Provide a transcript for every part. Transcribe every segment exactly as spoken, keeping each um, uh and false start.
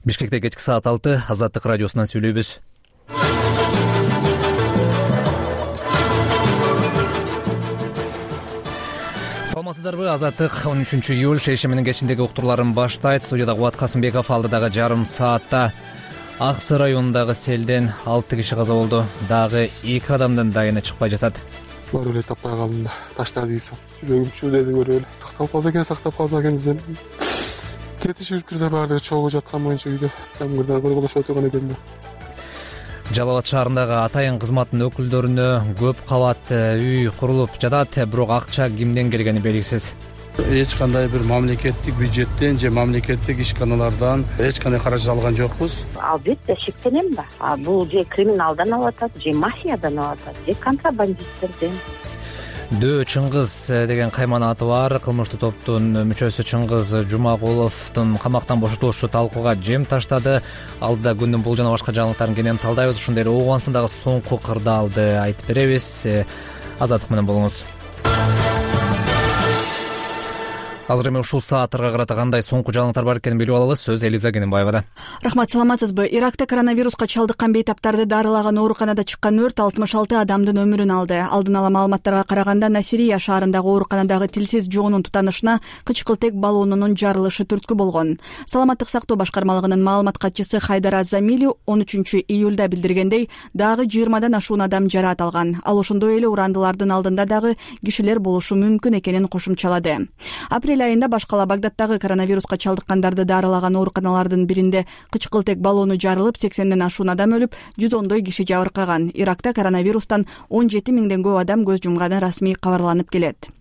Бишкекте кечки саат алты Азаттык радиосунан сүйлөйбүз. Саламатсыздарбы? Азаттык он үчүнчү июль шейшембинин менен кечиндеги уктурларын баштайт. Студияда Кубат Касымбеков. Алдыдагы жарым саатта Ак Суу районундагы селден алты киши каза болду. Дагы эки адамдын дайыны чыкпай жатат. Көрүп эле таппай калдым да. Таштарды ийип салып, жүрөгүм чүйлөдү көрүп эле. Тактап калса экен, сактап калса экен десем. Кетишиптир да баардыгы чогуу жаткан боюнча үйдө. Жамгырда койгулашып отурган экен да. Жалал Абад шаарындагы атайын кызматтын өкүлдөрүнө көп кабатты үй курулуп жатат, бирок акча кимден келгени белгисиз. Эч кандай бир мамлекеттик бюджеттен же мамлекеттик ишканалардан эч кандай каражат алган жокпуз. Албетте шектенем да. Бул же криминалдан алып атат, же мафиядан алып атат, же контрабандисттерден. Дөө Чыңгыз деген кайман аты бар кылмыштуу топтун мүчөсү Чыңгыз Жумагуловдун камактан бошотулушу талкууга жем таштады. Алдыда күндүн бул жана башка жаңылыктарын кенен талдайбыз. Ошондой эле Оогансындагы соңку кырдаалды айтып беребиз. Азаттык менен болуңуз. Азыр эми ушул сааттарга карата кандай соңку жаңылыктар бар экенин билип алабыз. Сөз Элиза Кененбаевада. Рахмат, саламатсызбы? Иракта коронавируска чалдыккан бейтаптарды дарылаган ооруканада чыккан өрт алтымыш алты адамдын өмүрүн алды. Алдын ала маалыматтарга караганда Насирия шаарындагы ооруканадагы тилсиз жоонун тутанышына кычкылтек баллонунун жарылышы түрткү болгон. Саламаттык сактоо башкармалыгынын маалымат катчысы Хайдар Азамили он үчүнчү июлда билдиргендей, дагы жыйырмадан ашуун адам жараат алган. Ал ошондой эле урандылардын алдында дагы кишилер болушу мүмкүн экенин кошумчалады. Апрель айында башкала Багдадтагы коронавируска чалдыккандарды дарылаган ооруканалардын биринде кычкылтек баллону жарылып, сексенден ашуун адам өлүп, жүз ондой киши жабыркаган. Иракта коронавирустан он жети миңден көп адам көз жумганы расмий кабарланып келет.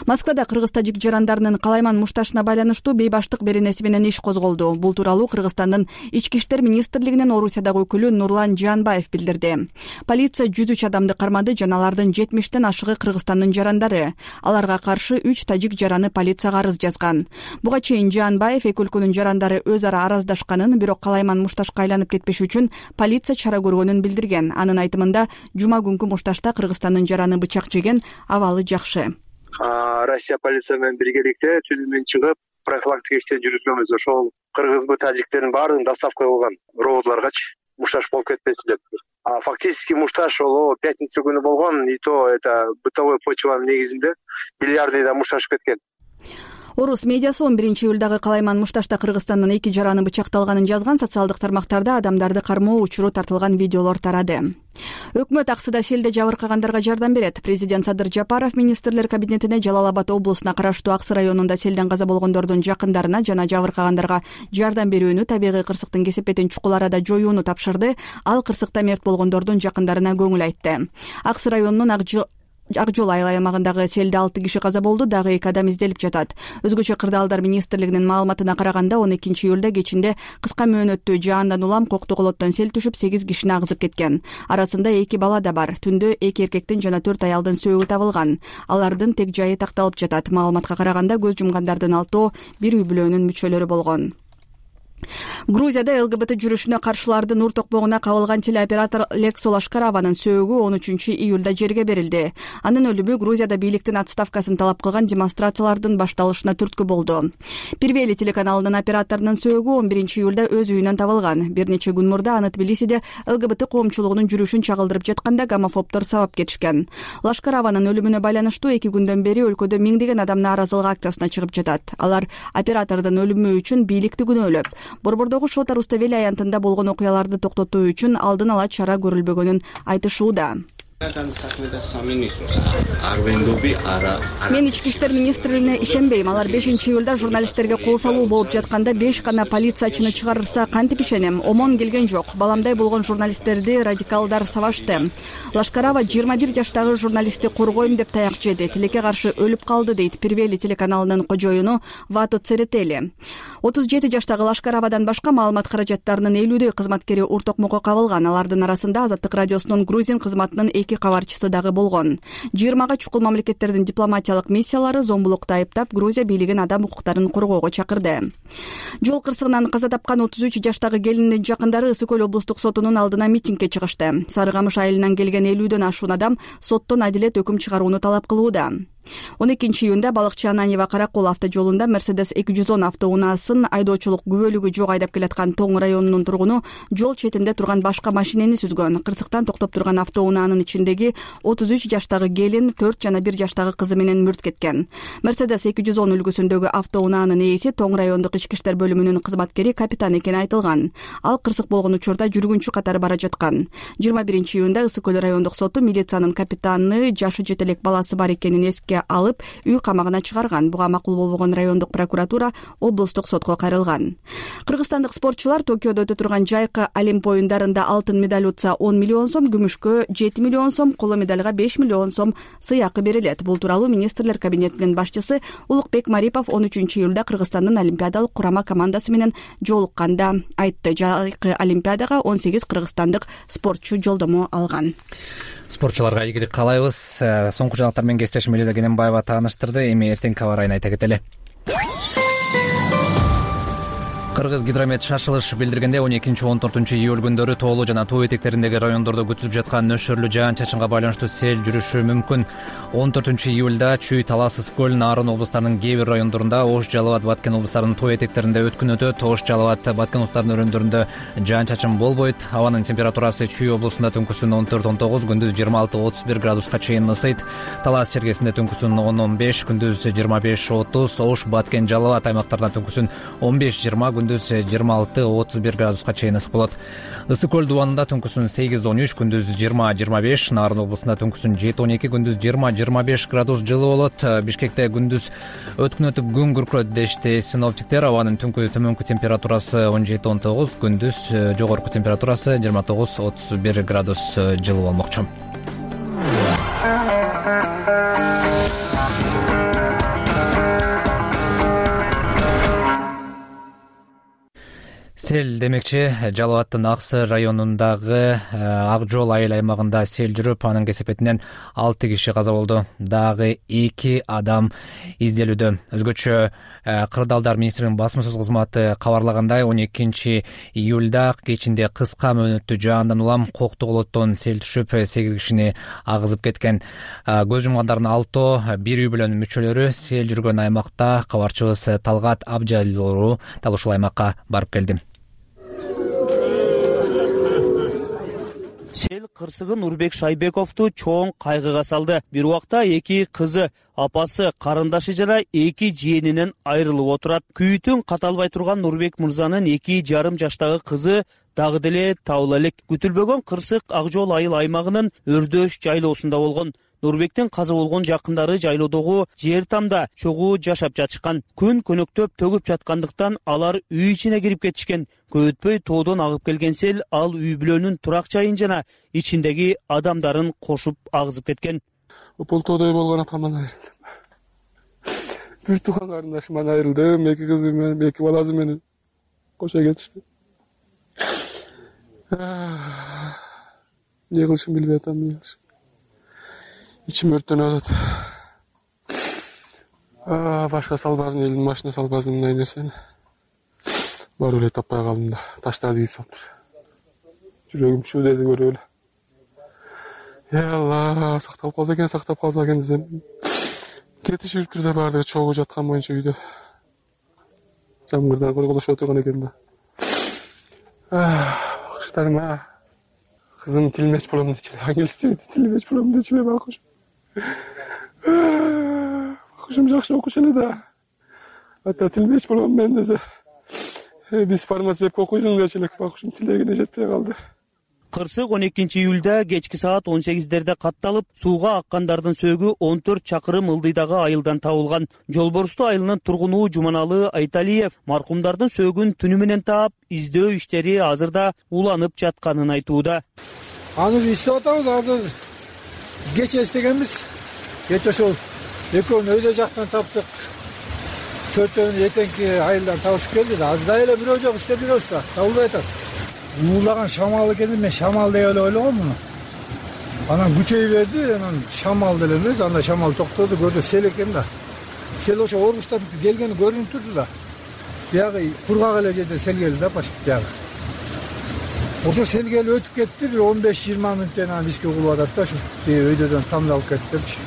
Москвада кыргыз-тажик жарандарынын Калайман мушташына байланыштуу бейбаштык беренеси менен иш козголду. Бул тууралуу Кыргызстандын Ички иштер министрлигинин Орусиядагы өкүлү Нурлан Жанбаев билдирди. Полиция жүз үч адамды кармады жана алардын жетимиштен ашыгы Кыргызстандын жарандары. Аларга каршы үч тажик жараны полицияга арыз жазган. Буга чейин Жанбаев эки өлкөнүн жарандары өз ара араздашканын, бирок Калайман мушташка айланып кетпеш үчүн полиция чара көргөнүн билдирген. Анын айтымында, жума күнкү мушташта Кыргызстандын жараны бычак жеген, абалы жакшы. Россия полиция менен биргеликте түнү менен чыгып профилактика иштери жүргүзгөнбүз. Ошол кыргызбы тажиктердин баардыгын доставка кылган роботларгачы мушташ болуп кетпесин деп. А фактически мушташ ол пятница күнү болгон, и то это бытовой почванын негизинде миллиардыйда мушташып кеткен. Орус медиасы он биринчи июлдагы Калайман мушташта Кыргызстандын эки жараны бычакталганын жазган. Социалдык тармактарда адамдарды кармоо учуру тартылган видеолор тарады. Өкмөт Ак Сууда селде жабыркагандарга жардам берет. Президент Садыр Жапаров министрлер кабинетине Жалал Абад облусуна караштуу Ак Суу районунда селден каза болгондордун жакындарына жана жабыркагандарга жардам берүүнү, табигый кырсыктын кесепетин чукул арада жоюуну тапшырды. Ал кырсыкта мерт болгондордун жакындарына көңүл айтты. Ак Суу районунун Ак жол айыл аймагындагы селде алты киши каза болду, дагы эки адам изделип жатат. Өзгөчө кырдаалдар министрлигинин маалыматына караганда он экинчи июлда кечинде кыска мөөнөттүү жаандан улам Коктуголоттон сел түшүп сегиз кишини агызып кеткен. Арасында эки бала да бар. Түндө эки эркектин жана төрт аялдын сөөгү табылган. Алардын тег жайы такталып жатат. Маалыматка караганда көз жумгандардын алтоо бир үй бүлөнүн мүчөлөрү болгон. Грузияда ЛГБТ жүрүшүнө каршылардын ур токмогуна кабылган телеоператор Лекс Лашкараванын сөөгү он үчүнчү июлда жерге берилди. Анын өлүмү Грузияда бийликтин отставкасын талап кылган демонстрациялардын башталышына түрткү болду. Первели телеканалынын операторунун сөөгү он биринчи июлда өз үйүнөн табылган. Бир нече күн мурда аны Тбилисиде ЛГБТ коомчулугунун жүрүшүн чагылдырып жатканда гомофобдор сабап кетишкен. Лашкараванын өлүмүнө байланыштуу эки күндөн бери өлкөдө миңдеген адам нааразылык акциясына чыгып жатат. Алар оператордун өлүмү үчүн бийликти күнөөлөп, Борбордогу Шота Руставели аянтында болгон окуяларды токтотуу үчүн алдын ала чара көрүлбөгөнүн айтышууда. Мен ички иштер министрлигине ишенбейм. Алар бешинчи июлда журналисттерге кол салуу болуп жатканда беш гана полициячыны чыгарырса кантип ишенем? Омон келген жок. Баламдай болгон журналисттерди радикалдар сабашты. Лашкарава жыйырма бир жаштагы журналистти коргойм деп таяк жеди. Тилекке каршы өлүп калды, дейт Первели телеканалынын кожоюну Вато Церетели. отуз жети жаштагы Лашкаравадан башка маалымат каражаттарынын элүүдөй кызматкери ур токмокко кабылган. Алардын арасында Азаттык радиосунун грузин кызматынын эки кабарчысы дагы болгон. жыйырмага чукул мамлекеттердин дипломатиялык миссиялары зомбулукта айыптап, Грузия бийлигин адам укуктарын коргоого чакырды. Жол кырсыгынан каза тапкан отуз үч жаштагы келиндин жакындары Ысык көл облустук сотунун алдына митингге чыгышты. Сары Камыш айылынан келген элүүдөн ашуун адам соттон адилет өкүм чыгарууну талап кылууда. он экинчи июнда балыкчы Ананьева Каракол автожолунда Мерседес эки жүз он автоунаасын айдоочулук күбөлүгү жок айдап келаткан Тоң районунун тургуну жол четинде турган башка машинени сүзгөн. Кырсыктан токтоп турган автоунаанын ичиндеги отуз үч жаштагы келин, төрт жана бир жаштагы кызы менен мүрт кеткен. Мерседес эки жүз он үлгүсүндөгү автоунаанын ээси Тоң райондук ички иштер бөлүмүнүн кызматкери капитан экени айтылган. Ал кырсык болгон учурда жүргүнчү катары бара жаткан. жыйырма биринчи июнда Ысык көл райондук соту милициянын капитаны жашы жете элек баласы бар экенин эске алып, үй камагына чыгарган. Буга макул болбогон райондук прокуратура облустук сотко кайрылган. Кыргызстандык спортчулар Токиодо өтө турган жайкы Олимп оюндарында алтын медаль утса он миллион сом, күмүшкө жети миллион сом, коло медальга беш миллион сом сыйакы берилет. Бул тууралуу министрлер кабинетинин башчысы Улукбек Марипов он үчүнчү июлда Кыргызстандын олимпиадалык курама командасы менен жолукканда айтты. Жайкы олимпиадага он сегиз кыргызстандык спортчу жолдомо алган. Спортчуларга ийгилик каалайбыз. Соңку жаңалыктар менен кесиптешим Элиза Кененбаева тааныштырды. Эми эртеңки аба ырайын айта кетели. Кыргыз гидромет шашылыш билдиргенде он экинчи он төртүнчү июль күндөрү тоолуу жана тоо этектериндеги райондордо күтүлүп жаткан нөшөрлүү жаан-чачынга байланыштуу сел жүрүшү мүмкүн. он төртүнчү июлда Чүй, Талас, Ысык көл, Нарын облустарынын кээ бир райондорунда, Ош, Жалал Абад, Баткен облустарынын тоо этектеринде өткүн өтөт. Ош, Жалал Абад, Баткен облустарынын өрөөндөрүндө жаан-чачын болбойт. Абанын температурасы Чүй облусунда түнкүсүн он төрт он тогуз, күндүз жыйырма алты отуз бир градуска чейин ысыйт. Талас чергесинде түнкүсүн он он беш, күндүз жыйырма беш отуз. Ош, Баткен, Жалал Абад аймактарында түнкүсүн он беш жыйырма, күндүз жыйырма алты отуз бир градуска чейин ысык болот. Ысык көл дубанында түнкүсүн сегиз он үч, күндүз жыйырма жыйырма беш. Нарын облусунда түнкүсүн жети он эки, күндүз жыйырма жыйырма беш градус жылы болот. Бишкекте күндүз өткүн өтүп күн күркүрөт дешти синоптиктер. Абанын түнкү төмөнкү температурасы он жети он тогуз, күндүз жогорку температурасы жыйырма тогуз отуз бир градус жылы болмокчу. Сел демекчи, Жалал Абадтын Аксы районундагы Ак жол айыл аймагында сел жүрүп, анын кесепетинен алты киши каза болду. Дагы эки адам изделүүдө. Өзгөчө Кырдаалдар министринин басмасөз кызматы кабарлагандай, он экинчи июлда кечинде кыска мөөнөттүү жаандан улам Коктуголоттон сел түшүп, сегиз кишини агызып кеткен. Көз жумгандардын алтоо бир үй бүлөнүн мүчөлөрү. Сел жүргөн аймакта кабарчыбыз Талгат Абжалилуу дал ушул аймакка барып келди. Сел кырсыгы Нурбек Шайбековду чоң кайгыга салды. Бир убакта эки кызы, апасы, карындашы жана эки жиенинен айрылып отурат. Күйүтүн каталбай турган Нурбек мырзанын эки жарым жаштагы кызы дагы деле табыла элек. Күтүлбөгөн кырсык Ак жол айыл аймагынын Өрдөш жайлоосунда болгон. Нурбектин каза болгон жакындары жайлоодогу жер тамда чогуу жашап жатышкан. Күн көнөктөп төгүп жаткандыктан алар үй ичине кирип кетишкен. Көп өтпөй тоодон агып келген сел ал үй бүлөнүн турак жайын жана ичиндеги адамдарын кошуп агызып кеткен. Бул тоодой болгон атамдан айрылдым. Бир тууган карындашыман айрылдым, эки кызы менен, эки баласы менен кошо кетишти. Не кылышымды билбей атам, эмне кылышым. İçim örttөнүп атат. Башка салбазын, элдин машина салбазын мындай нерсени барып эле таппай калдым да, таштарды кийип салыптыр. Жүрөгүм чүлдеди көрүп эле. Эй Алла, сактап калса экен, сактап калса экен десем, кетишиптир да баардыгы чогуу жаткан боюнча үйдө. Жамгырдан койгулашып отурган экен да. Бакыштарыма кызым тилмеч болом дечи, англис тилмеч болом дечи бакыш. Бакышым жакшы окушу эле да. Ата тилмеч болом мен десе. Биз фармацевтке окуйсуң дечи элек, бакышым тилегине жетпей калды. Кырсык он экинчи июлда кечки саат он сегиздерде катталып, сууга аккандардын сөөгү он төрт чакырым ылдыйдагы айылдан табылган. Жолборсту айылынын тургуну Жуманалы Айталиев маркумдардын сөөгүн түнү менен таап, издөө иштери азырда уланып жатканын айтууда. Аны издеп атабыз, азыр кече издегенбиз. Кече ошол экөөнү өйдө жактан таптык. Төртөөнү эртеңки айылдан табышып келди да, азыр да эле бирөө жок, иштеп жүрөбүз да, табылбай атат. Уулаган шамал экен, мен шамал деп эле ойлогом муну. Анан күчөй берди, анан шамал деле эмес, анда шамал токтоду, көрдү сел экен да. Сел ошо орбуштап келгени көрүнүп турду да. Биягы кургак эле жерде сел келди да, почти биягы. Ошо сел келип өтүп кетти, бир он беш жыйырма мүнөттөн анан бизге угулуп атат да, ошо өйдөдөн тамды алып кетти депчи.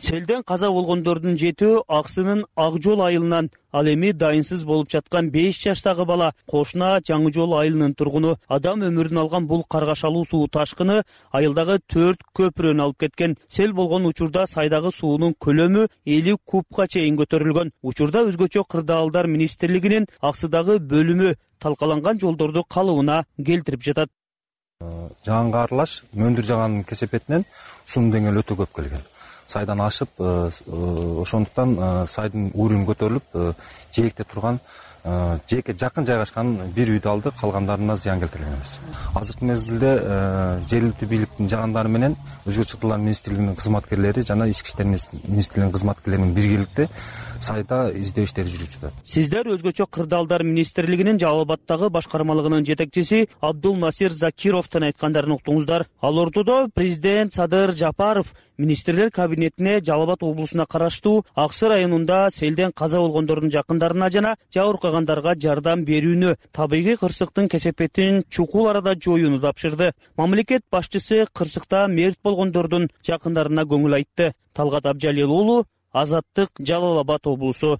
Селден каза болгондордун жетөө Аксынын Ак жол айылынан, ал эми дайынсыз болуп жаткан беш жаштагы бала Кошуна Жаңы жол айылынын тургуну. Адам өмүрүн алган бул каргашалуу суу ташкыны айылдагы төрт көпүрөнү алып кеткен. Сел болгон учурда сайдагы суунун көлөмү элүү кубка чейин көтөрүлгөн. Учурда өзгөчө кырдаалдар министрлигинин Аксыдагы бөлүмү талкаланган жолдорду калыбына келтирип жатат. Жаганга аралаш мөндүр жаганын кесепетинен суунун деңгээли өтө көп келген. Сайдан ашып, ошондуктан сайдын уурун көтөрүлүп, жээкте турган, жээкке жакын жайгашкан бир үйдү алды, калгандарына зыян келтирген эмес. Азыркы мезгилде жергиликтүү бийликтин жарандары менен Өзгөчө кырдаалдар министрлигинин кызматкерлери жана Ички иштер министрлигинин кызматкерлеринин биргеликте сайда издөө иштери жүрүп жатат. Сиздер Өзгөчө кырдаалдар министрлигинин Жалал Абаддагы башкармалыгынын жетекчиси Абдул Насир Закировдун айткандарын уктуңуздар. Ал ортодо президент Садыр Жапаров министрлер кабинетине Жалал Абад облусуна караштуу Аксы районунда селден каза болгондордун жакындарына жана жабыркагандарга жардам берүүнү, табигый кырсыктын кесепетин чукул арада жоюуну тапшырды. Мамлекет башчысы кырсыкта мерт болгондордун жакындарына көңүл айтты. Талгат Абжалил уулу, Азаттык, Жалал Абад облусу.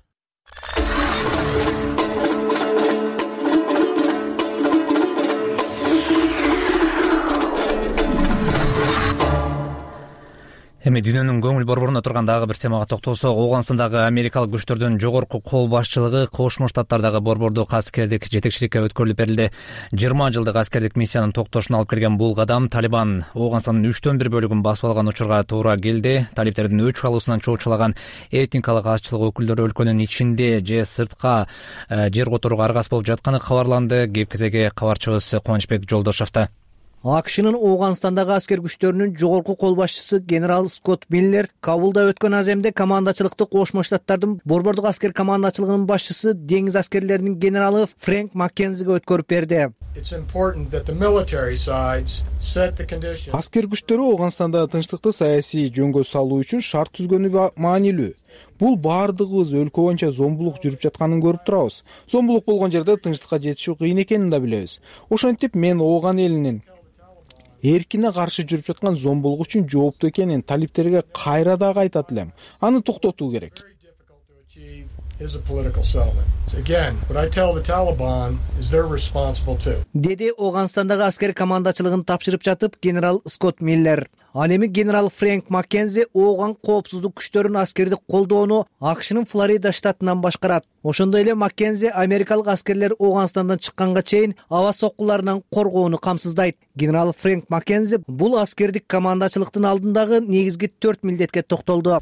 Эми дүйнөнүн көңүл борборуна турган дагы бир темага токтолсок, Ооганстандагы америкалык күчтөрдүн жогорку кол башчылыгы Кошмо Штаттардагы борбордук аскердик жетекчиликке өткөрүлүп берилди. жыйырма жылдык аскердик миссиянын токтошуна алып келген бул кадам Талибан Ооганстандын үчтөн бир бөлүгүн басып алган учурга туура келди. Талиптердин өч алуусунан чоочулаган этникалык азчылык өкүлдөрү өлкөнүн ичинде же сыртка жер которууга аргасыз болуп жатканы кабарланды. Кеп кезеги кабарчыбыз Кубанычбек Жолдошовдо. АКШнын Ооганстандагы аскер күчтөрүнүн жогорку кол башчысы генерал Скотт Миллер Кабулда өткөн аземде командачылыкты Кошмо Штаттардын борбордук аскер командачылыгынын башчысы деңиз аскерлеринин генералы Фрэнк Маккензиге өткөрүп берди. Аскер күчтөрү Ооганстандагы тынчтыкты саясий жөнгө салуу үчүн шарт түзгөнү маанилүү. Бул баардыгыбыз өлкө боюнча зомбулук жүрүп жатканын көрүп турабыз. Зомбулук болгон жерде тынчтыкка жетишүү кыйын экенин да билебиз. Ошентип мен Ооган элинин эркине каршы жүрүп жаткан зомбулук үчүн жооптуу экенин талиптерге кайра дагы айтат элем. Аны токтотуу керек. Деди Ооганстандагы аскер командачылыгын тапшырып жатып генерал Скотт Миллер. Ал эми генерал Фрэнк Маккензи Ооган коопсуздук күчтөрүн аскердик колдоону АКШнын Флорида штатынан башкарат. Ошондой эле Маккензи америкалык аскерлер Ооганстандан чыкканга чейин аба соккуларынан коргоону камсыздайт. Генерал Фрэнк Маккензи бул аскердик командачылыктын алдындагы негизги төрт милдетке токтолду.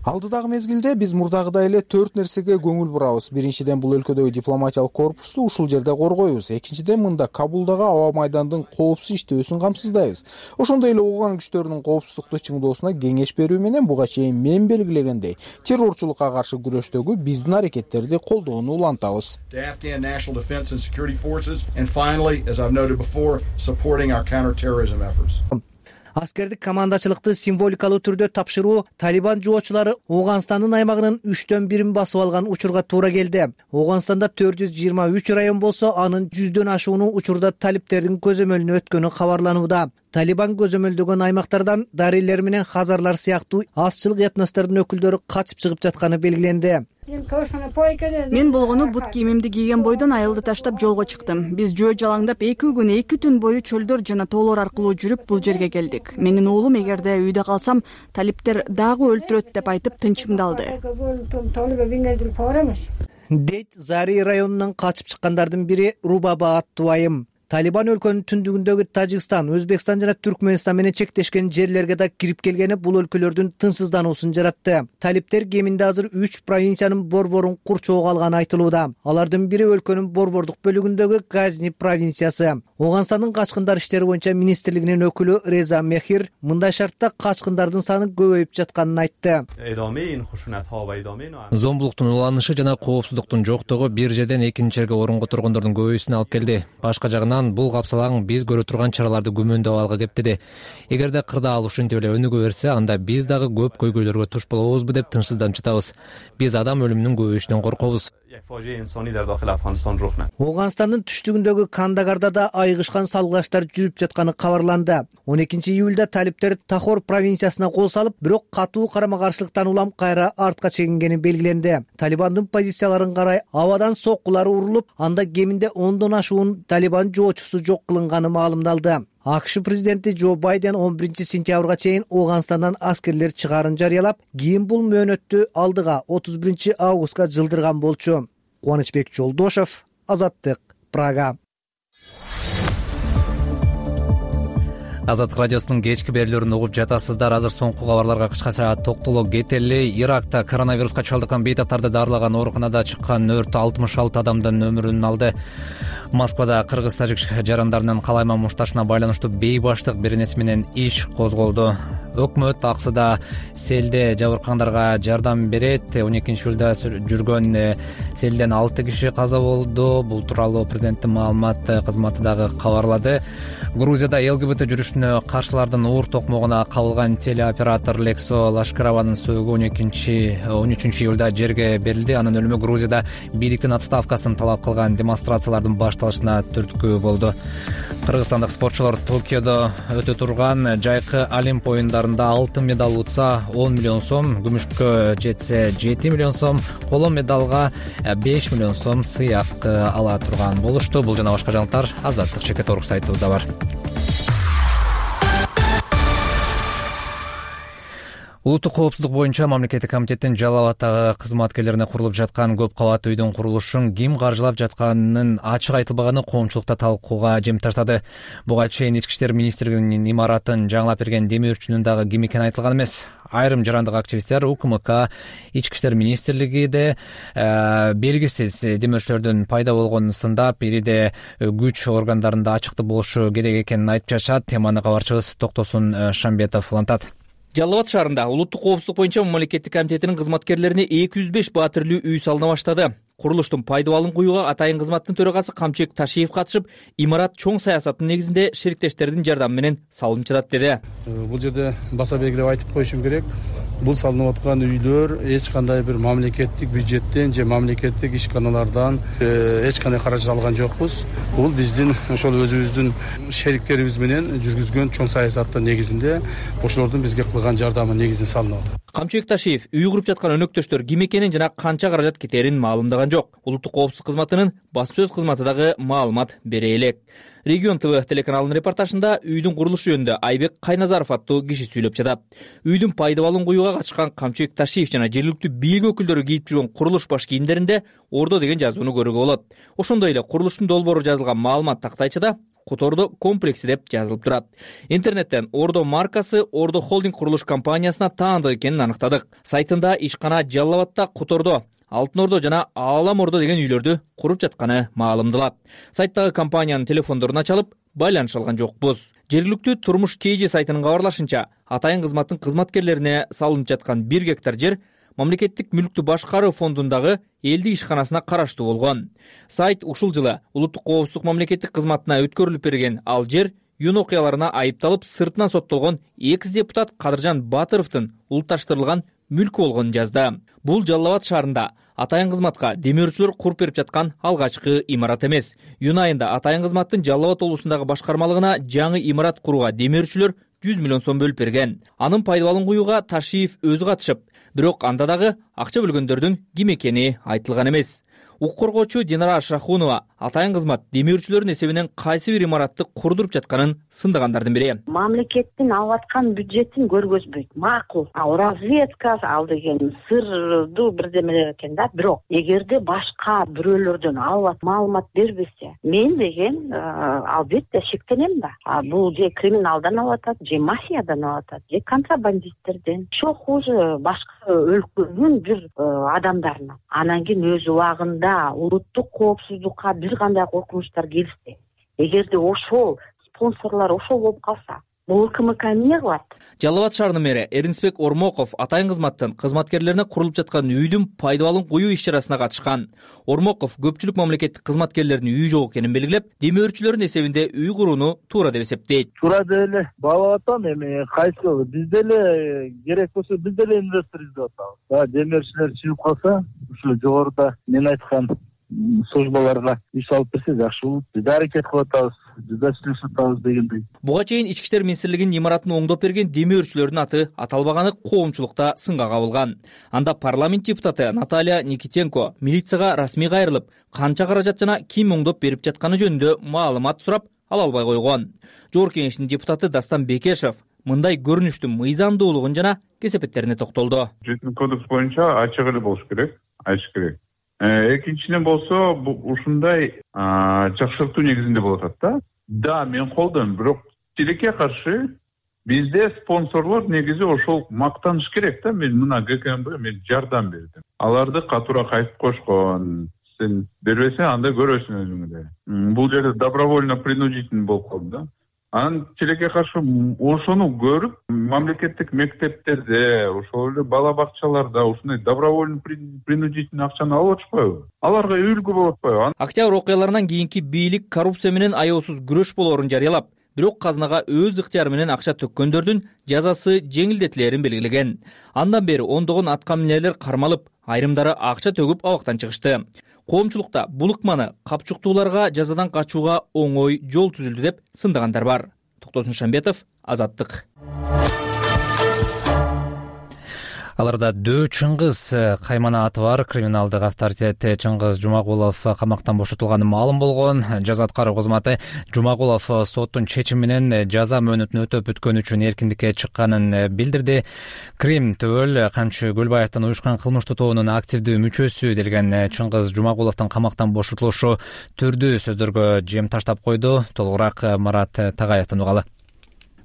Алдыдагы мезгилде биз мурдагыдай эле төрт нерсеге көңүл бурабыз. Биринчиден, бул өлкөдөгү дипломатиялык корпусту ушул жерде коргойбуз. Экинчиден, мында Кабулдагы аба майдандын коопсуз иштөөсүн камсыздайбыз. Ошондой эле Ооган күчтөрүнүн коопсуздукту чыңдоосуна кеңеш берүү менен буга чейин мен белгилегендей террорчулукка каршы күрөштөгү биздин аракеттерди колдоону улантабыз. Аскердик командачылыкты символикалуу түрдө тапшыруу Талибан жоочулары Ооганстандын аймагынын үчтөн бирин басып алган учурга туура келди. Ооганстанда төрт жүз жыйырма үч район болсо, анын жүздөн ашууну учурда талиптердин көзөмөлүнө өткөнү кабарланууда. Талибан көзөмөлдөгөн аймактардан дарыйлер менен хазарлар сыяктуу азчылык этностордун өкүлдөрү качып чыгып жатканы белгиленди. Мен болгону бут кийимимди кийген бойдон айылды таштап жолго чыктым. Биз жөө жалаңдап эки күн эки түн бою чөлдөр жана тоолор аркылуу жүрүп бул жерге келдик. Менин уулум эгерде үйдө калсам, талиптер дагы өлтүрөт деп айтып тынчымды алды. Дейт Зари районунан качып чыккандардын бири Рубаба аттуу айым. Талибан өлкөнүн түндүгүндөгү Тажикстан, Өзбекстан жана Түркмөнстан менен чектешкен жерлерге да кирип келгени бул өлкөлөрдүн тынчсыздануусун жаратты. Талиптер кеминде азыр үч провинциянын борборун курчоого алганы айтылууда. Алардын бири өлкөнүн борбордук бөлүгүндөгү Газни провинциясы. Ооганстандын качкындар иштери боюнча министрлигинин өкүлү Реза Мехир мындай шартта качкындардын саны көбөйүп жатканын айтты. Зомбулуктун уланышы жана коопсуздуктун жоктугу бир жерден экинчи жерге орунго тургондордун көбөйүүсүнө алып келди. Башка жагынан бул капсалаң биз көрө турган чараларды күмөндөп алга кептеди. Эгерде кырдаал ушинтип эле өнүгө берсе, анда биз дагы көп көйгөйлөргө туш болобузбу деп тынчсызданып жатабыз. Биз адам өлүмүнүн көбөйүшүнөн коркобуз. Ооганстандын түштүгүндөгү Кандагарда да айыгышкан салгылаштар жүрүп жатканы кабарланды. он экинчи июлда талиптер Тахор провинциясына кол салып, бирок катуу карама-каршылыктан улам кайра артка чегингени белгиленди. Талибандын позицияларын карай абадан соккулар урулуп, анда кеминде ондон ашуун Талибан жоочусу жок кылынганы маалымдалды. АКШ президенти Джо Байден он биринчи сентябрга чейин Ооганстандан аскерлер чыгаарын жарыялап, кийин бул мөөнөттү алдыга отуз биринчи августка жылдырган болчу. Кубанычбек Жолдошев, Азаттык, Прага. Азаттык радиосунун кечки берүүлөрүн угуп жатасыздар. Азыр соңку кабарларга кыскача токтоло кетели. Иракта коронавируска чалдыккан бейтаптарды дарылаган ооруканада чыккан өрт алтымыш алты адамдын өмүрүн алды. Москвада кыргыз-тажик жарандарынын калайман мушташына байланыштуу бейбаштык беренеси менен иш козголду. Өкмөт аксыда селде жабыркагандарга жардам берет. он экинчи июлда жүргөн селден алты киши каза болду. Бул тууралуу президенттин маалымат кызматы дагы кабарлады. Грузияда ЛГБТ жүрүшүнө каршылардын уур токмогуна кабылган телеоператор Лексо Лашкарованын сөөгү он экинчи он үчүнчү июлда жерге берилди. Анын өлүмү Грузияда бийликтин отставкасын талап кылган демонстрациялардын башталышына түрткү болду. Кыргызстандык спортчулар Токиодо өтө турган жайкы Олимп оюндарында алтын медаль утса он миллион сом, күмүшкө жетсе жети миллион сом, коло медалга беш миллион сом сыяк ала турган болушту. Бул жана башка жаңылыктар Азаттык Чекет Орг сайтыбызда бар. Улуттук коопсуздук боюнча мамлекеттик комитеттин Жалал Абаддагы кызматкерлерине курулуп жаткан көп кабаттуу үйдүн курулушун ким каржылап жатканын ачык айтылбаганы коомчулукта талкууга жем таштады. Буга чейин Ички иштер министрлигинин имаратын жаңылап берген демөөрчүнүн дагы ким экени айтылган эмес. Айрым жарандык активисттер УКМК, Ички иштер министрлигиде э, белгисиз демөөрчүлөрдүн пайда болгонун сындап, ириде күч органдарында ачыктык болушу керек экенин айтып жашат. Теманы кабарчыбыз Токтосун Шамбетов улантат. Жалал Абад шаарында улуттук коопсуздук боюнча мамлекеттик комитетинин кызматкерлерине эки жүз беш баатирлүү үй салына баштады. Курулуштун пайдабалын куюуга атайын кызматтын төрагасы Камчыбек Ташиев катышып, имарат чоң саясаттын негизинде шериктештердин жардамы менен салынып жатат деди. Бул жерде баса белгилеп айтып коюшум керек. Бул салынып аткан үйлөр эч кандай бир мамлекеттик бюджеттен же мамлекеттик ишканалардан эч кандай каражат алган жокпуз. Бул биздин ошол өзүбүздүн шериктерибиз менен жүргүзгөн чоң саясаттын негизинде ошолордун бизге кылган жардамы негизинде салынып атат. Камчыбек Ташиев үй куруп жаткан өнөктөштөр ким экенин жана канча каражат кетерин маалымдаган жок. Улуттук коопсуздук кызматынын басма сөз кызматы дагы маалымат бере элек. Регион ТВ телеканалынын репортажында үйдүн курулушу жөнүндө Айбек Кайназаров аттуу киши сүйлөп жатат. Үйдүн пайдабалын куюуга катышкан Камчыбек Ташиев жана жергиликтүү бийлик өкүлдөрү кийип жүргөн курулуш баш кийимдеринде Ордо деген жазууну көрүүгө болот. Ошондой эле курулуштун долбоору жазылган маалымат тактайчыда Котордо комплекси деп жазылып турат. Интернеттен Ордо маркасы Ордо холдинг курулуш компаниясына таандык экенин аныктадык. Сайтында ишкана Жалал Абадда Котордо, Алтын Ордо жана Аалам Ордо деген үйлөрдү куруп жатканы маалымдалат. Сайттагы компаниянын телефондорун ачалып, байланыша алган жокпуз. Жергиликтүү Турмуш КЖ сайтынын кабарлашынча, атайын кызматтын кызматкерлерине салынып жаткан бир гектар жер мамлекеттик мүлктү башкаруу фондундагы элдик ишканасына караштуу болгон. Сайт ушул жылы улуттук коопсуздук мамлекеттик кызматына өткөрүлүп берген ал жер юн окуяларына айыпталып сыртынан соттолгон экс депутат Кадыржан Батыровдун улутташтырылган мүлкү болгонун жазды. Бул Жалал Абад шаарында атайын кызматка демөөрчүлөр куруп берип жаткан алгачкы имарат эмес. Июнь айында атайын кызматтын Жалал Абад облусундагы башкармалыгына жаңы имарат курууга демөөрчүлөр жүз миллион сом бөлүп берген. Анын пайдабалын куюуга Ташиев өзү катышып, бирок анда дагы акча бөлгөндөрдүн ким экени айтылган эмес. Укук коргоочу Динара Ашрахунова атайын кызмат демөөрчүлөрдүн эсебинен кайсы бир имаратты курдуруп жатканын сындагандардын бири. Мамлекеттин алып аткан бюджетин көргөзбөйт. Макул. А разведка ал деген сырдуу бирдемелер экен да. Бирок эгерде башка бирөөлөрдөн алып маалымат бербесе, мен деген албетте шектенем да. Бул же криминалдан алып атат, же мафиядан алып атат, же контрабандисттерден. Ошо хуже башка өлкөнүн бир адамдарынан. Анан кийин өз убагында улуттук коопсуздукка бир кандай коркунучтар келсе, эгерде ошол спонсорлор ошол болуп калса, бул УКМК эмне кылат? Жалал Абад шаарынын мэри Эринбек Ормоков атайын кызматтын кызматкерлерине курулуп жаткан үйдүн пайдалуулун коюу иш-чарасына катышкан. Ормоков көпчүлүк мамлекеттик кызматкерлердин үйү жок экенин белгилеп, демөө өрчүлөрдүн эсебинде үй курууну туура деп эсептейт. Туура деп эле баалап атам, эми кайсы биз деле керек болсо биз деле инвестор издеп атабыз. Баягы демөө өрчүлөр чыгып калса, ушул жогоруда мен айткан службаларга иш алып берсе жакшы болот. Биз да аракет кылып атабыз, биз да сүйлөшүп атабыз дегендей. Буга чейин Ички иштер министрлигинин имаратын оңдоп берген демөө өрчүлөрдүн аты аталбаганы коомчулукта сынга кабылган. Анда парламент депутаты Наталья Никитенко милицияга расмий кайрылып, канча каражат жана ким оңдоп берип жатканы жөнүндө маалымат сурап, ала албай койгон. Жогорку Кеңештин депутаты Дастан Бекешев мындай көрүнүштүн мыйзамдуулугун жана кесепеттерине токтолду. Жетинчи кодекс боюнча ачык эле болуш керек, ачык керек. Экинчиден болсо ушундай жакшыртуу негизинде болуп атат да. Да, мен колдойм, бирок тилекке каршы бизде спонсорлор негизи ошол мактаныш керек да. Мен мына ГКМБ мен жардам бердим. Аларды катуура кайтып кошкон. Сен бербесең анда көрөсүң өзүңдө. Бул жерде добровольно принудительный болуп калды да. Анан тилекке каршы ошону көрүп, мамлекеттик мектептерде, ошол эле бала бакчаларда ушундай добровольный принудительный акчаны алып атышпайбы? Аларга үлгү болуп атпайбы? Октябрь окуяларынан кийинки бийлик коррупция менен аеосуз күрөш болоорун жарыялап, бирок казынага өз ыктыяры менен акча төккөндөрдүн жазасы жеңилдетилерин белгилеген. Андан бери ондогон аткаминерлер кармалып, айрымдары акча төгүп абактан чыгышты. Коомчулукта бул ыкманы капчуктууларга жазадан качууга оңой жол түзүлдү деп сындагандар бар. Токтосун Шамбетов, Азаттык. Аларда Дөө Чыңгыз каймана аты бар криминалдык авторитет Чыңгыз Жумагулов камактан бошотулганы маалым болгон. Жаза аткаруу кызматы Жумагулов соттун чечими менен жаза мөөнөтүн өтөп бүткөн үчүн эркиндикке чыкканын билдирди. Крим Төөл Камчы Көлбаевдин уюшкан кылмыштуу тобунун активдүү мүчөсү делген Чыңгыз Жумагуловдун камактан бошотулушу түрдүү сөздөргө жем таштап койду. Толугураак Марат Тагаевден угалы.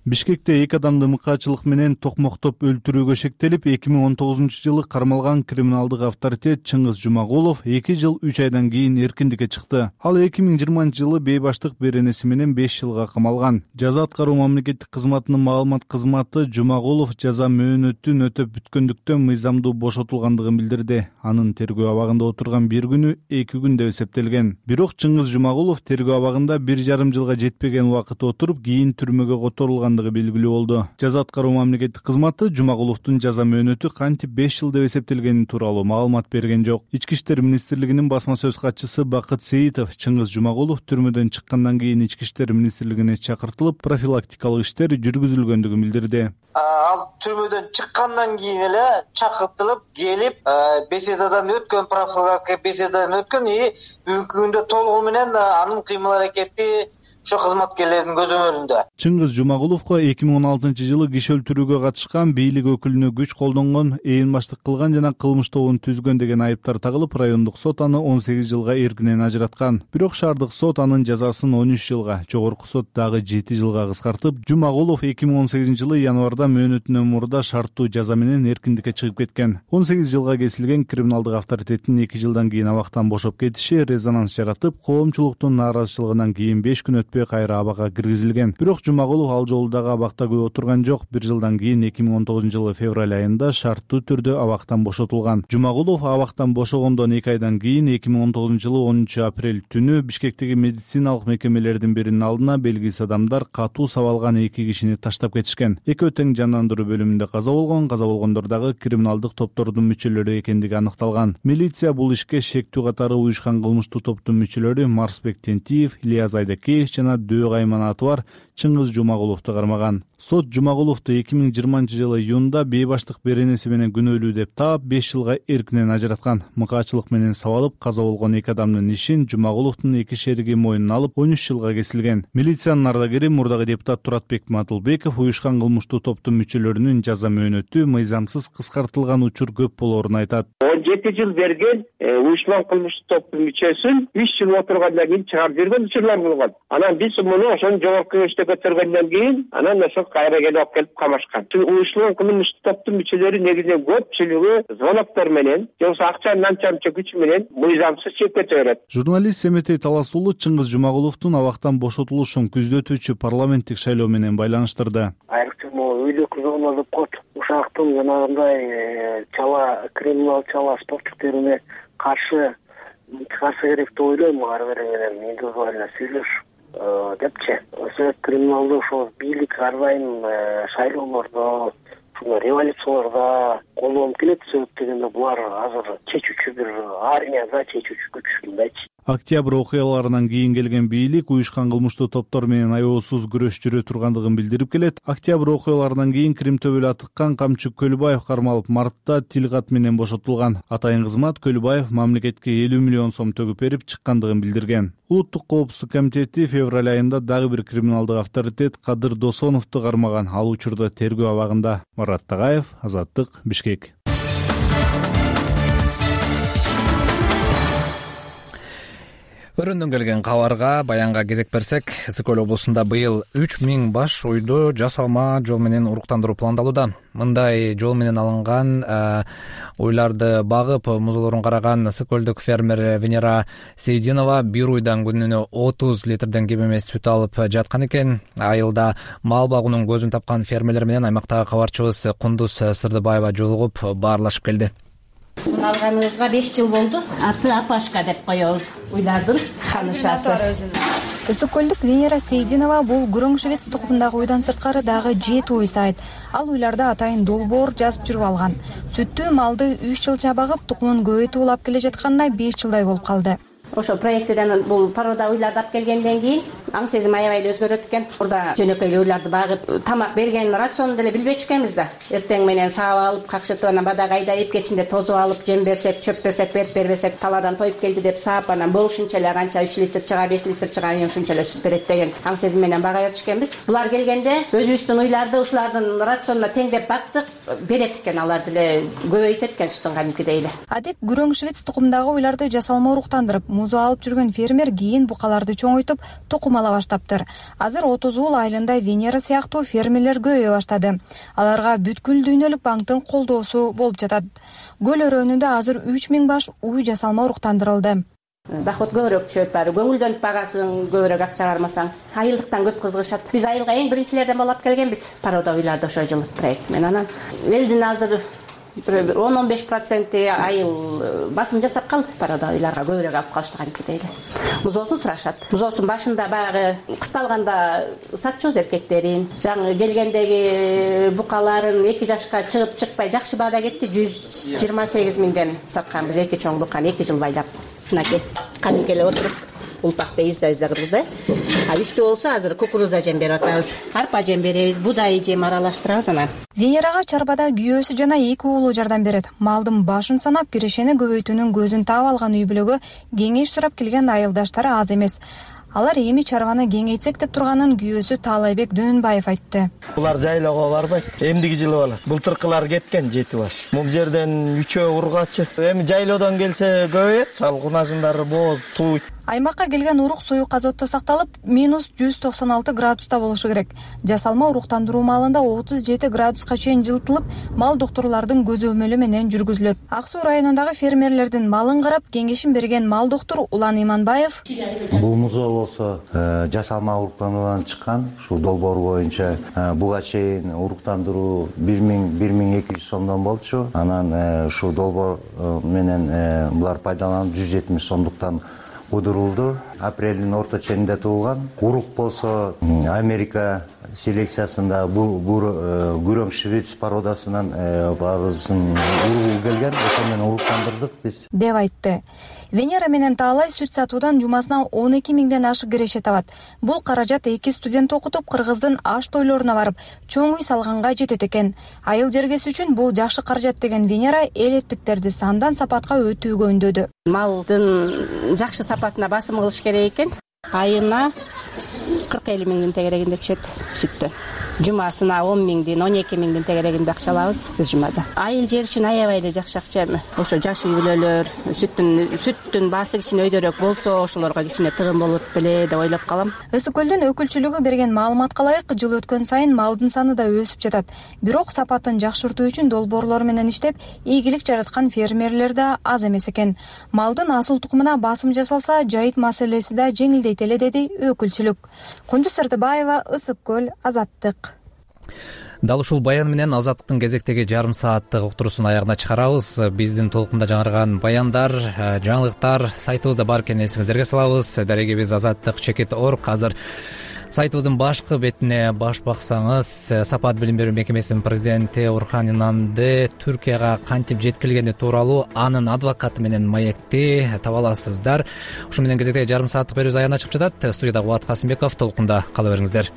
Бишкекте эки адамды мыкаачылык менен токмоктоп өлтүрүүгө шектелип, эки миң он тогузунчу жылы кармалган криминалдык авторитет Чыңгыз Жумагулов эки жыл үч айдан кийин эркиндикке чыкты. Ал эки миң жыйырманчы жылы бейбаштык беренеси менен беш жылга камалган. Жаза аткаруу мамлекеттик кызматынын маалымат кызматы Жумагулов жаза мөөнөтүн өтөп бүткөндүктөн мыйзамдуу бошотулгандыгын билдирди. Анын тергөө абагында отурган бир күнү эки күн деп эсептелген. Бирок Чыңгыз Жумагулов тергөө абагында бир жарым жылга жетпеген убакыт отуруп, кийин түрмөгө которулган белгилүү болду. Жаза аткаруу мамлекеттик кызматы Жумагуловдун жаза мөөнөтү кантип беш жыл деп эсептелгени тууралуу маалымат берген жок. Ички иштер министрлигинин басма сөз катчысы Бакыт Сейитов Чыңгыз Жумагулов түрмөдөн чыккандан кийин Ички иштер министрлигине чакыртылып, профилактикалык иштер жүргүзүлгөндүгүн билдирди. Ал түрмөдөн чыккандан кийин эле чакыртылып келип, беседадан өткөн, профилактика беседадан өткөн и бүгүнкү күндө толугу менен анын кыймыл аракети ошо кызматкерлердин көзөмөлүндө. Чыңгыз Жумагуловго эки миң он алтынчы жылы киши өлтүрүүгө катышкан, бийлик өкүлүнө күч колдонгон, ээн баштык кылган жана кылмыш тобун түзгөн деген айыптар тагылып, райондук сот аны он сегиз жылга эркинен ажыраткан. Бирок шаардык сот анын жазасын он үч жылга, жогорку сот дагы жети жылга кыскартып, Жумагулов эки миң он сегизинчи жылы январда мөөнөтүнөн мурда шарттуу жаза менен эркиндикке чыгып кеткен. он сегиз жылга кесилген криминалдык авторитеттин эки жылдан кийин абактан бошоп кетиши резонанс жаратып, коомчулуктун нааразычылыгынан кийин беш күн кайра абага киргизилген. Бирок Жумагулов ал жолу дагы абакта көп отурган жок. Бир жылдан кийин эки миң он тогузунчу жылы февраль айында шарттуу түрдө абактан бошотулган. Жумагулов абактан бошогондон эки айдан кийин эки миң он тогузунчу жылы онунчу апрель түнү Бишкектеги медициналык мекемелердин биринин алдына белгисиз адамдар катуу сабалган эки кишини таштап кетишкен. Экөө тең жандандыруу бөлүмүндө каза болгон. Каза болгондор дагы криминалдык топтордун мүчөлөрү экендиги аныкталган. Милиция бул ишке шектүү катары уюшкан кылмыштуу топтун мүчөлөрү Марсбек Тентиев, Ильяз Айдакеев жана Дөө каймана аты бар Чыңгыз Жумагуловду кармаган. Сот Жумагуловду эки миң жыйырманчы жылы июнда бейбаштык беренеси менен күнөөлүү деп таап, беш жылга эркинен ажыраткан. Мыкаачылык менен сабалып каза болгон эки адамдын ишин Жумагуловдун эки шериги мойнуна алып, он үч жылга кесилген. Милициянын ардагери мурдагы депутат Туратбек Матылбеков уюшкан кылмыштуу топтун мүчөлөрүнүн жаза мөөнөтү мыйзамсыз кыскартылган учур көп болоорун айтат. он жети жыл берген уюшкан кылмыштуу топтун мүчөсүн үч жыл отургандан кийин чыгарып жүргөн учурлар болгон. Анан биз муну ошонун жогорку кеңеште күчтө көтөргөндөн кийин анан ошол кайра келип алып келип камашкан. Уюштурулган кылмыштык топтун мүчөлөрү негизинен көпчүлүгү звоноктор менен же болбосо акча нанча күч менен мыйзамсыз чек көтөрөт. Журналист Семетей Талас уулу Чыңгыз Жумагуловдун абактан бошотулушун күздө өтүүчү парламенттик шайлоо менен байланыштырды. Айрыкча могу үйлүк зона деп коет. Ушактын жанагындай чала криминал чала спортчуктерине каршы чыгарса керек деп ойлойм. Ары бери менен индивидуально сүйлөшүп депчи. Ошо криминалдуу ошо бийлик ар дайым шайлоолордо, революцияларда колдонуп келет. Себеп дегенде булар азыр чечүүчү бир армияда чечүүчү күч мындайчы. Октябрь окуяларынан кийин келген бийлик уюшкан кылмыштуу топтор менен аеосуз күрөш жүрө тургандыгын билдирип келет. Октябрь окуяларынан кийин Крим төбөлү атыккан Камчы Көлбаев кармалып, мартта тил кат менен бошотулган. Атайын кызмат Көлбаев мамлекетке элүү миллион сом төгүп берип чыккандыгын билдирген. Улуттук коопсуздук комитети февраль айында дагы бир криминалдык авторитет Кадыр Досоновду кармаган. Ал учурда тергөө абагында. Марат Тагаев, Азаттык, Бишкек. Өрөндөн келген кабарга баянга кезек берсек, Ысык Көл облусунда быйыл үч миң баш уйду жасалма жол менен уруктандыруу пландалууда. Мындай жол менен алынган уйларды багып, музоолорун караган Ысык Көлдүк фермер Венера Сейдинова бир уйдан күнүнө отуз литрден кем эмес сүт алып жаткан экен. Айылда мал багуунун көзүн тапкан фермерлер менен аймактагы кабарчыбыз Кундуз Сырдыбаева жолугуп баарлашып келди. Алганыбызга беш жыл болду. Аты Апашка деп коебуз. Уйлардын ханышасы. Ысык Көлдүк Венера Сейдинова бул гүрөң швец тукумундагы уйдан сырткары дагы жети уй сайт. Ал уйларда атайын долбоор жазып жүрүп алган. Сүттүү малды үч жылча багып, тукумун көбөйтүп улап келе жатканда беш жылдай болуп калды. Ошо проекттен бул порода уйларды алып келгенден кийин аң сезим аябай эле өзгөрөт экен. Урда жөнөкөй уйларды багып, тамак берген рационду деле билбечү экенбиз да. Эртең менен саап алып, какшытып, анан бадага айдайып, кечинде тозуп алып, жем берсек, чөп берсек, берип бербесек, талаадан тоюп келди деп саап, анан болушунча эле канча үч литр чыга, беш литр чыга, ушунча эле сүт берет деген аң сезим менен бага берчү экенбиз. Булар келгенде өзүбүздүн уйларды ушулардын рационуна теңдеп бактык, берет экен, алар деле көбөйтөт экен сүтүн кадимкидей эле. Адеп гүрөң швец тукумундагы уйларды жасалма уруктандырып, музоо алып жүргөн фермер кийин букаларды чоңойтуп, тукум ала баштаптыр. Азыр отуз уул айылында Венера сыяктуу фермерлер көбөйө баштады. Аларга бүткүл дүйнөлүк банктын колдоосу болуп жатат. Көл өрөөнүндө азыр үч миң баш уй жасалма уруктандырылды. Доход көбүрөөк түшөт, баары көңүлдөнүп багасың, көбүрөөк акча кармасаң. Айылдыктан көп кызыгышат. Биз айылга эң биринчилерден болуп келгенбиз. Порода уйларды ошо жылы проект менен. Анан элдин азыр он он беш проценти айыл басым жасап калды. Порода уйларга көбүрөөк алып калыштыган кедей эле. Музоосун сурашат. Музоосун башында баягы кысталганда сатчубуз эркектерин, жаңы келгендеги букаларын эки жашка чыгып чыкпай жакшы баада кетти. жүз жыйырма сегиз миңден сатканбыз эки чоң буканы эки жыл байлап. Мынакей кадимки эле отуруп улпакты изда-издагыбыз да. А үстү болсо азыр кукуруза жем берип атабыз. Арпа жем беребиз, будай жем аралаштырабыз анан. Венерага чарбада күйөөсү жана эки уулу жардам берет. Малдын башын санап, кирешени көбөйтүүнүн көзүн таап алган үй бүлөгө кеңеш сурап келген айылдаштары аз эмес. Алар эми чарбаны кеңейтсек деп турганын күйөөсү Таалайбек Дөөнбаев айтты. Булар жайлоого барбайт. Эмдиги жылы болот. Былтыркылар кеткен жети баш. Бул жерден үчөө ургачы. Эми жайлоодон келсе көбөйөт. Салкунасындары боз, туу. Аймакка келген урук суюк азотто сакталып, минус жүз токсон алты градуста болушу керек. Жасалма уруктандыруу маалында отуз жети градуска чейин жылытылып, мал доктурлардын көзөмөлү менен жүргүзүлөт. Ак Суу районундагы фермерлердин малын карап, кеңешин берген мал доктур Улан Иманбаев: Бул музоо болсо жасалма уруктандыруудан чыккан, ушул долбоор боюнча буга чейин уруктандыруу бир миң бир миң эки жүз сомдон болчу. Анан ушул долбоор менен булар пайдаланып жүз жетимиш сомдуктан удурулду. Апрелдин орто ченинде туулган. Урук болсо Америка селекциясында бул гүрөң швец породасынан баарыбыздын уругу келген. Ошо менен уруктандырдык биз деп айтты. Венера менен Таалай сүт сатуудан жумасына он эки миңден ашык киреше табат. Бул каражат эки студент окутуп, Кыргыздын аш тойлоруна барып, чоң үй салганга жетет экен. Айыл жергеси үчүн бул жакшы каражат деген Венера элеттиктерди сандан сапатка өтүүгө үндөдү. Малдын жакшы сапатына басым кылыш керек экен. Айына кырк элүү миңдин тегерегинде түшөт. сүттөн. Жумасына он миңдин он эки миңдин тегерегинде акча алабыз биз жумада. Айыл жер үчүн аябай эле жакшы акча эми. Ошо жаш үй бүлөлөр сүттүн сүттүн баасы кичине өйдөрөөк болсо ошолорго кичине тыгын болот беле деп ойлоп калам. ысык көлдүн өкүлчүлүгү берген маалыматка ылайык жыл өткөн сайын малдын саны да өсүп жатат. Бирок сапатын жакшыртуу үчүн долбоорлор менен иштеп, ийгилик жараткан фермерлер да аз эмес экен. Малдын асыл тукумуна басым жасалса, жайыт маселеси да жеңилдейт эле деди өкүлчүлүк. Кундуз Сыртыбаева, Ысык көл, Азаттык. Дал ушул баян менен Азаттыктын кезектеги жарым сааттык уктуруусун аягына чыгарабыз. Биздин толкунда жаңырган баяндар, жаңылыктар сайтыбызда бар экенин эсиңиздерге салабыз. Дарегибиз азаттык чекит точка орг. Азыр сайтыбыздын башкы бетине баш баксаңыз, Сапат билим берүү мекемесинин президенти Орхан Инанды Түркияга кантип жеткирилгени тууралуу анын адвокаты менен маекти таба аласыздар. Ушу менен кезектеги жарым сааттык берүүбүз аягына чыгып жатат. Студияда Кубат Касымбеков, толкунда кала бериңиздер.